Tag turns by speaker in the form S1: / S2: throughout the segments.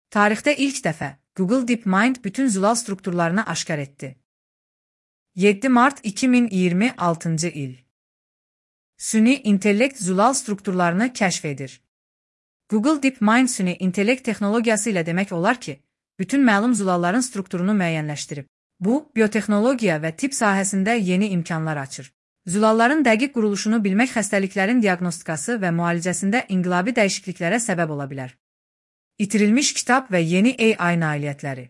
S1: Tarixdə ilk dəfə Google DeepMind bütün zülal strukturlarını aşkar etdi. 7 Mart 2026 il. Süni intellekt zülal strukturlarını kəşf edir. Google DeepMind süni intellekt texnologiyası ilə demək olar ki, bütün məlum zülalların strukturunu müəyyənləşdirib. Bu, biotexnologiya və tibb sahəsində yeni imkanlar açır. Zülalların dəqiq quruluşunu bilmək xəstəliklərin diaqnostikası və müalicəsində inqilabi dəyişikliklərə səbəb ola bilər. İtirilmiş kitab və yeni AI nailiyyətləri.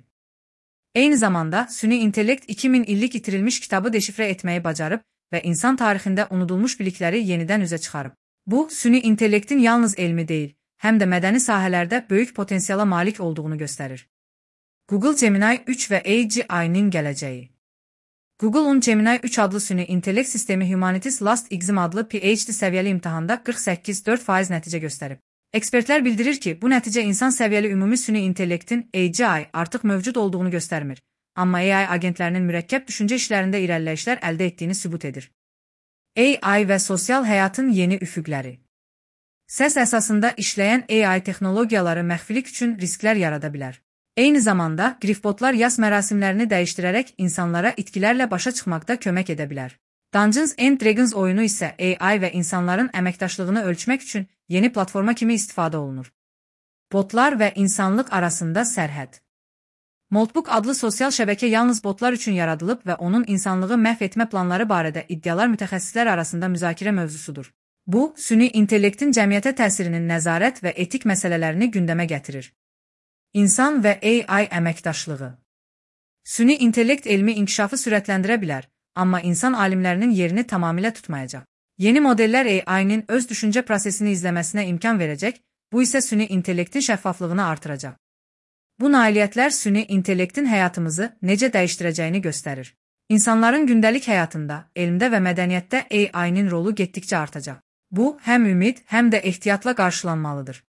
S1: Eyni zamanda, süni intellekt 2000 illik itirilmiş kitabı deşifrə etməyi bacarıb və insan tarixində unudulmuş bilikləri yenidən üzə çıxarıb. Bu, süni intellektin yalnız elmi deyil, həm də mədəni sahələrdə böyük potensiala malik olduğunu göstərir. Google Gemini 3 və AGI-nin gələcəyi. Google'un Gemini 3 adlı süni intellekt sistemi Humanities Last Exam adlı PhD səviyyəli imtahanda 48,4% nəticə göstərib. Ekspertlər bildirir ki, bu nəticə insan səviyyəli ümumi süni intellektin AGI artıq mövcud olduğunu göstərmir, amma AI agentlərinin mürəkkəb düşüncə işlərində irəliləyişlər əldə etdiyini sübut edir. AI və sosial həyatın yeni üfüqləri. Səs əsasında işləyən AI texnologiyaları məxfilik üçün risklər yarada bilər. Eyni zamanda, grifbotlar yas mərasimlərini dəyişdirərək insanlara itkilərlə başa çıxmaqda kömək edə bilər. Dungeons and Dragons oyunu isə AI və insanların əməkdaşlığını ölçmək üçün yeni platforma kimi istifadə olunur. Botlar və insanlıq arasında sərhəd. Moltbook adlı sosial şəbəkə yalnız botlar üçün yaradılıb və onun insanlığı məhv etmə planları barədə iddialar mütəxəssislər arasında müzakirə mövzusudur. Bu, süni intellektin cəmiyyətə təsirinin nəzarət və etik məsələlərini gündəmə gətirir. İnsan və AI əməkdaşlığı. Süni intellekt elmi inkişafı sürətləndirə bilər, amma insan alimlərinin yerini tamamilə tutmayacaq. Yeni modellər AI-nin öz düşüncə prosesini izləməsinə imkan verəcək, bu isə süni intellektin şəffaflığını artıracaq. Bu nailiyyətlər süni intellektin həyatımızı necə dəyişdirəcəyini göstərir. İnsanların gündəlik həyatında, elmdə və mədəniyyətdə AI-nin rolu getdikcə artacaq. Bu, həm ümid, həm də ehtiyatla qarşılanmalıdır.